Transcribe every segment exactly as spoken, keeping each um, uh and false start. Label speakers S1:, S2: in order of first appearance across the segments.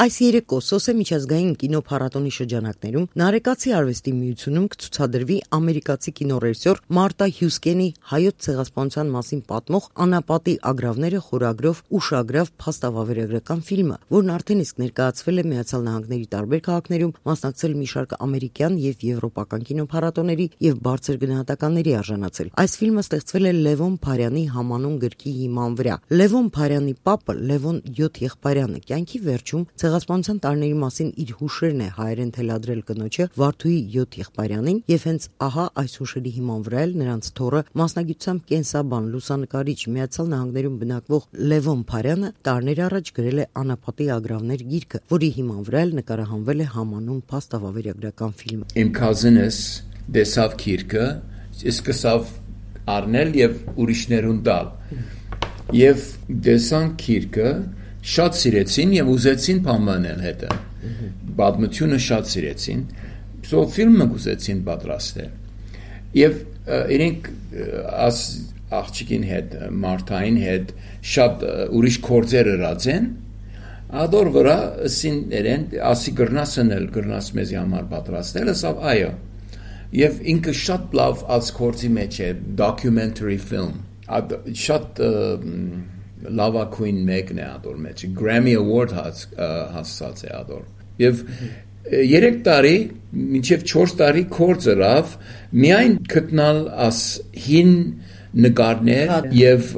S1: Այս երեկո Սոսե միջազգային կինոփառատոնի շրջանակներում Նարեկացի արվեստի միությունում կցուցադրվի ամերիկացի կինոռեժիսոր Մարտա Հյուսկենի հայոց ցեղասպանության մասին պատմող «Անապատի ագռավները» խորագրով ուշագրավ փաստավավերագրական ֆիլմը, որն արդեն իսկ ներկայացվել է Միացյալ Նահանգների տարբեր քաղաքներում, մասնակցել մի շարք ամերիկյան եւ եվրոպական կինոփառատոների եւ բարձր գնահատականների արժանացել։ Այս ֆիլմը ստեղծվել է Լևոն Փարյանի համանուն գրքի հիման վրա։ Լևոն Փարյանի պապը Լևոն յոթ Եղբայրյանը կյանքի վերջում ցեղասպանության տարիների մասին իր հուշերն է հայերեն թելադրել կնոջը Վարդուհի յոթ Եղբայրյանին եւ հենց ահա այս հուշերի հիման վրա էլ նրանց թոռը մասնագիտությամբ կենսաբան լուսանկարիչ Միացյալ Նահանգներում բնակվող Լևոն Փարյանը տարիներ առաջ գրել է «Անապատի ագռավներ» գիրքը, որի հիման վրա էլ նկարահանվել է համանուն փաստավավերագրական ֆիլմը։
S2: Իմ cousin-ս դեսավ գիրքը, սկսավ առնել եւ ուրիշներուն տալ։ Եվ դեսան գիրքը շատ սիրեցին եւ ուզեցին բանանել հետը։ Պատմությունը շատ սիրեցին։ Սո ֆիլմը ուզեցին պատրաստել։ Եւ իրենք աս աղջիկին հետ, Մարտային հետ շատ ուրիշ գործեր ըրացեն։ Ադոր վրա սին երեն ասի գրնասնել, գրնաս մեզի համար պատրաստել, ասավ այո։ Եվ ինքը շատ լավ աս գործի մեջ է, documentary film։ Շատ լավագույն մեկն է ադոր մեջ, Grammy Award հասած է ադոր։ Եվ երեք տարի, մինչև չորս տարի կորձ ըրավ, միայն գտնալ աս հին նկարներ եւ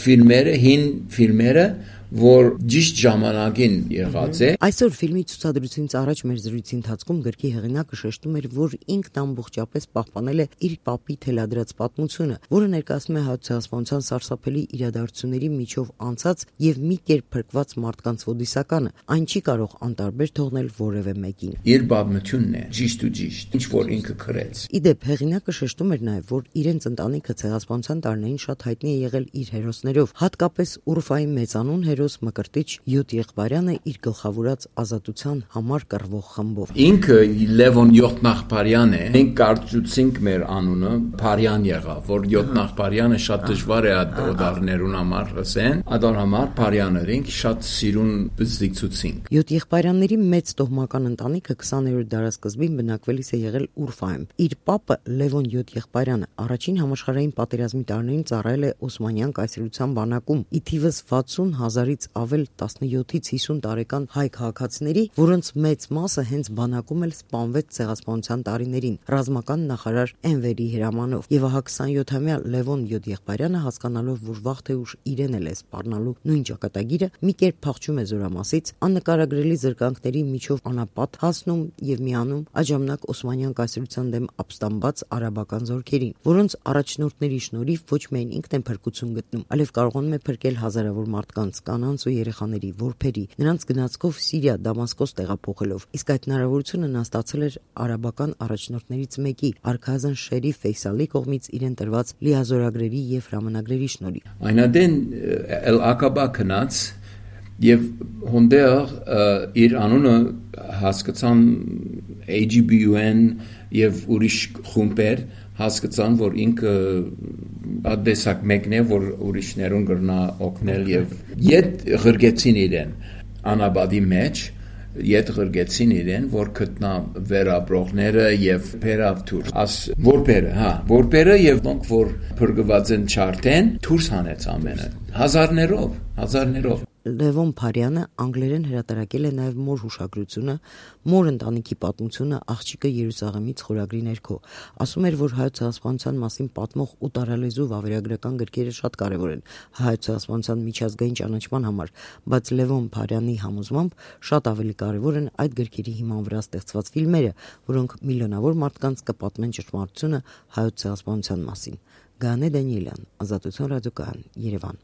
S2: ֆիլմերը, հին ֆիլմերը, որ ճիշտ ժամանակին եղած է։
S1: Այսօր ֆիլմի ցուցադրությունից առաջ մեր զրույցի ընթացքում գրքի հեղինակը շեշտում էր, որ ինքն ամբողջապես պահպանել է իր պապի թելադրած պատմությունը, որը ներկայացնում է հայոց ցեղասպանության սարսափելի իրադարձությունների միջով անցած եւ մի կերպ փրկված մարդկանց ոդիսականը, այն չի կարող անտարբեր թողնել որևէ մեկին։
S2: Իր պատմությունն է, ճիշտ ու ճիշտ, ինչ որ ինքը գրեց։
S1: Իդեպ հեղինակը շեշտում էր նաեւ, որ իրենց ընտանիքը ցեղասպանության տարիներին շատ հայտնի է եղել իր հերոսներով, հատկապես Ուրֆայի մեծանուն հերոս Մկրտիչ յոթ Եղբայրյանը իր գլխավորած ազատության համար կռվող խմբով։
S2: Ինքը Լևոն յոթ Եղբայրյան է։ Մենք կարծուցինք մեր անունը Փարյան եղավ, որ յոթ Եղբայրյանը շատ դժվար է օդարներուն համար ասեն, ադոր համար Փարյաներին շատ սիրուն բզդիկցուցինք։
S1: յոթ Եղբայրյանների մեծ տոհմական ընտանիքը քսաներորդ դարասկզբին բնակվելիս է եղել Ուրֆայում։ Իր պապը Լևոն յոթ Եղբայրյանը առաջին համաշխարհային պատերազմի տարիներին ծառայել է Օսմանյան կայսրության բանակում, ի թիվս վաթսուն հազարից ավել տասնյոթից հիսուն տարեկան հայ քաղաքացիների, որոնց մեծ մասը հենց բանակում էլ սպանվեց ցեղասպանության տարիներին ռազմական նախարար Էնվերի հրամանով։ Եվ ահա քսանյոթամյա Լևոն յոթ Եղբայրյանը, հասկանալով, որ վաղ թե ուշ իրեն էլ է սպառնալու նույն ճակատագիրը, մի կերպ փախչում է Զորամասից, աննկարագրելի զրկանքների միջով անապատ հասնում եւ միանում այդ ժամանակ Օսմանյան կայսրության դեմ ապստամբած արաբական զորքերին, որոնց առաջնորդների շնորհիվ ոչ միայն ինքն է փրկություն գտնում, այլև կարողանում է փրկել հազարավոր մարդկանց, կանանց ու երեխաների, որբերի, նրանց գնացքով Սիրիա, Դամասկոս տեղափոխելով։ Իսկ այդ հնարավորությունը նա ստացել էր արաբական առաջնորդներից մեկի, արքայազն Շերիֆ Ֆեյսալի կողմից իրեն տրված լիազորագրերի եւ հրամանագրերի շնորհիվ։
S2: Այնադեն Էլ Ակաբա քնած եւ հոնդեր իր անունը հասկացան A G B U N եւ ուրիշ խումբեր հասկացան, որ ինքը ադեսակ մեկն է, որ ուրիշներուն գրնա օգնել եւ իդ ղրգեցին իրեն անաբադի մեջ, իդ ղրգեցին իրեն, որ գտնա վերաբրողները եւ փերավթուր աս որբերը, հա, որբերը եւ դոնք որ փրկված են չարտեն, դուրս հանեց ամենը հազարներով, հազարներով։
S1: Լևոն Փարյանը անգլերեն հրատարակել է նաև մոր հուշագրությունը, մոր ընտանիքի պատմությունը աղջիկը Երուսաղեմից խորագրի ներքո։ Ասում էր, որ հայոց ցեղասպանության մասին պատմող ու տարալեզու վավերագրական գրքերը շատ կարևոր են հայոց ցեղասպանության միջազգային ճանաչման համար, բայց Լևոն Փարյանի համոզմամբ շատ ավելի կարևոր են այդ գրքերի հիման վրա ստեղծված ֆիլմերը, որոնք միլիոնավոր մարդկանց կպատմեն ճշմարտությունը հայոց ցեղասպանության մասին։ Գանե Դանիելյան, Ազատություն ռադիոկայան, Երևան։